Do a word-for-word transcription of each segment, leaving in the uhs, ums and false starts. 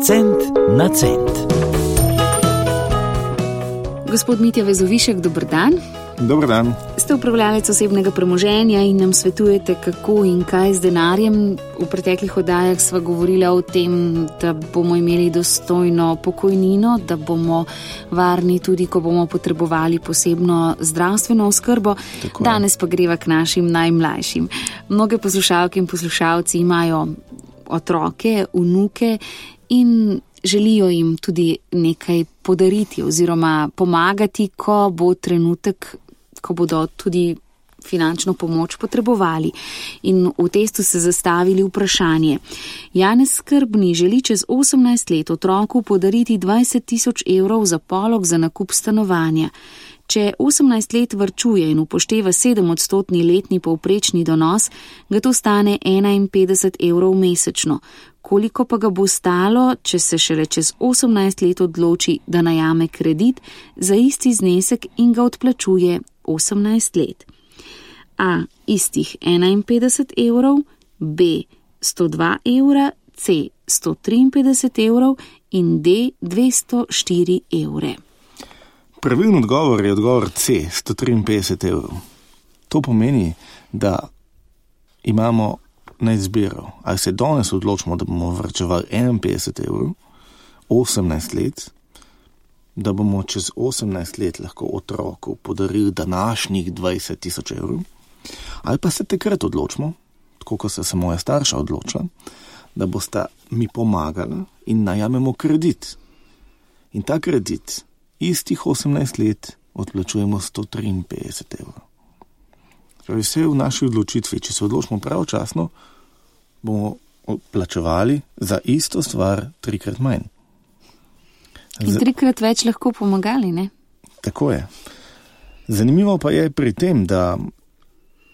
Cent na cent. Gospod Mitja Vezovišek, dober dan. Dober dan. Ste upravljalec osebnega premoženja in nam svetujete, kako in kaj z denarjem. V preteklih oddajah sva govorila o tem, da bomo imeli dostojno pokojnino, da bomo varni tudi, ko bomo potrebovali posebno zdravstveno oskrbo. Tako. Danes pa greva k našim najmlajšim. Mnoge poslušalke in poslušalci imajo otroke, vnuke in želijo jim tudi nekaj podariti oziroma pomagati, ko bo trenutek, ko bodo tudi finančno pomoč potrebovali. In v testu se zastavili vprašanje. Janez Skrbni želi čez osemnajst let otroku podariti dvajset tisoč evrov za polog za nakup stanovanja. Če osemnajst let varčuje in upošteva sedemodstotni letni povprečni donos, ga to stane enainpetdeset evrov mesečno. Koliko pa ga bo stalo, če se šele čez osemnajst let odloči, da najame kredit za isti znesek in ga odplačuje osemnajst let? A. Istih enainpetdeset evrov, B. sto dva evra, C. sto triinpetdeset evrov in D. dvesto štiri evre. Pravilno odgovor je odgovor C, sto triinpetdeset evrov. To pomeni, da imamo na izbiro, ali se danes odločimo, da bomo varčevali enainpetdeset evrov, osemnajst let, da bomo čez osemnajst let lahko otroku podarili današnjih dvajset tisoč evrov, ali pa se takrat odločimo, tako kot se moja starša odločila, da bosta mi pomagala in najamemo kredit. In ta kredit istih osemnajst let odplačujemo sto triinpetdeset evrov. Torej vse v naši odločitvi, če se odločimo pravočasno, bomo plačevali za isto stvar trikrat manj. In trikrat več lahko pomagali, ne? Tako je. Zanimivo pa je pri tem, da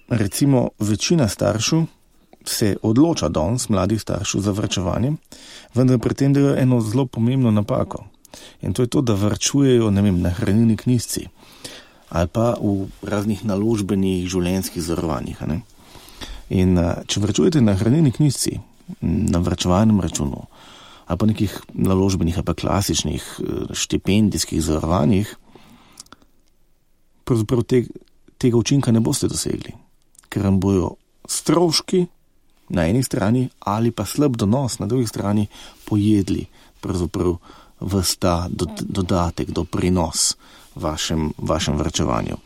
recimo večina staršev se odloča danes, mladih staršev, za varčevanje, vendar pri tem delajo eno zelo pomembno napako. In to je to, da varčujejo, ne vem, na hranilni knjižici ali pa v raznih naložbenih življenjskih zarovanjih. Ne? In če varčujete na hranilni knjižici, na varčevalnem računu ali pa nekih naložbenih ali pa klasičnih štipendijskih zarovanjih, pravzaprav te, tega učinka ne boste dosegli, ker vam bojo stroški na eni strani ali pa slab donos na drugi strani pojedli pravzaprav ves ta dodatek, doprinos vašem, vašem varčevanju.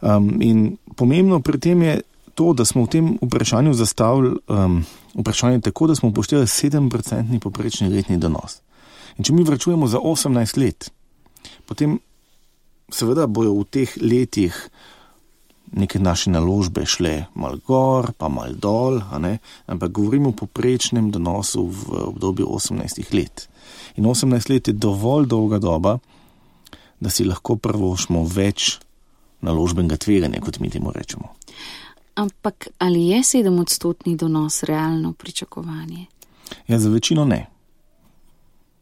Um, in pomembno pri tem je to, da smo v tem vprašanju zastavili um, vprašanje tako, da smo upoštevali sedem procentni povprečni letni donos. In če mi varčujemo za osemnajst let, potem seveda bojo v teh letih neke naše naložbe šle mal gor, pa mal dol, a ne? Ampak govorimo o povprečnem donosu v obdobju osemnajstih let. In osemnajst let je dovolj dolga doba, da si lahko privoščimo več naložbenega tveganja, kot mi temu rečemo. Ampak ali je sedemodstotni donos realno pričakovanje? Ja, za večino ne.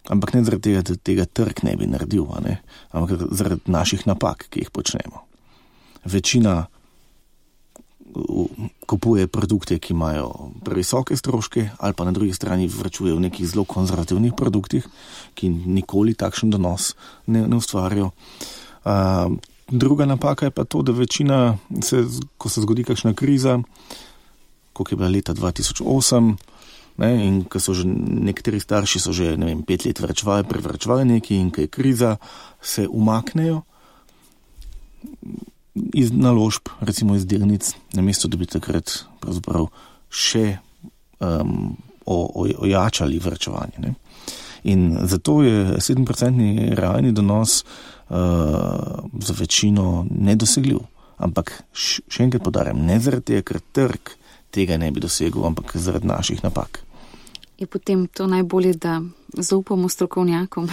Ampak ne zaradi tega, da tega trg ne bi naredil, a ne? Ampak zaradi naših napak, ki jih počnemo. Večina kupuje produkte, ki imajo previsoke stroške, ali pa na drugi strani vračuje v nekih zelo konzervativnih produktih, ki nikoli takšen donos ne, ne ustvarjajo. Uh, druga napaka je pa to, da večina, se, ko se zgodi kakšna kriza, koliko je bila leta dva tisoč osem, ne, in ko so že nekateri starši so že, ne vem, pet let vračevali, prevračevali nekaj in ko je kriza, se umaknejo iz naložb, recimo iz delnic, namesto da bi takrat pravzaprav še um, o, o, ojačali varčevanje. Ne? In zato je sedem procentni realni donos uh, za večino nedosegljiv. Ampak še enkrat podarjam, ne zaradi tega, ker trg tega ne bi dosegel, ampak zaradi naših napak. Je potem to najbolje, da zaupamo strokovnjakom?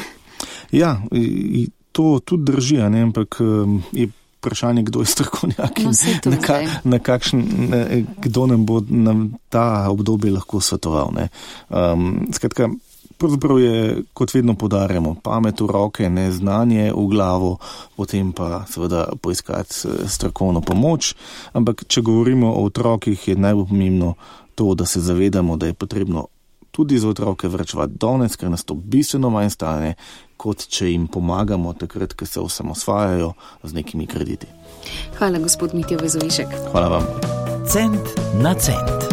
Ja, to tudi drži, ne? Ampak je vprašanje, kdo je strokovnjak in no, na, ka, na kakšen, kdo nam bo nam ta obdobje lahko svetoval. Ne? Um, skratka, pravzaprav je, kot vedno podarjamo, pamet v roke, ne znanje v glavo, potem pa seveda poiskati strokovno pomoč. Ampak, če govorimo o otrokih, je najbolj pomembno to, da se zavedamo, da je potrebno tudi za otroke vračevati danes, ker nas to bistveno manj stane, kot če jim pomagamo takrat, ko se osamosvajajo z nekimi krediti. Hvala, gospod Mitja Vezovišek. Hvala vam. Cent na cent.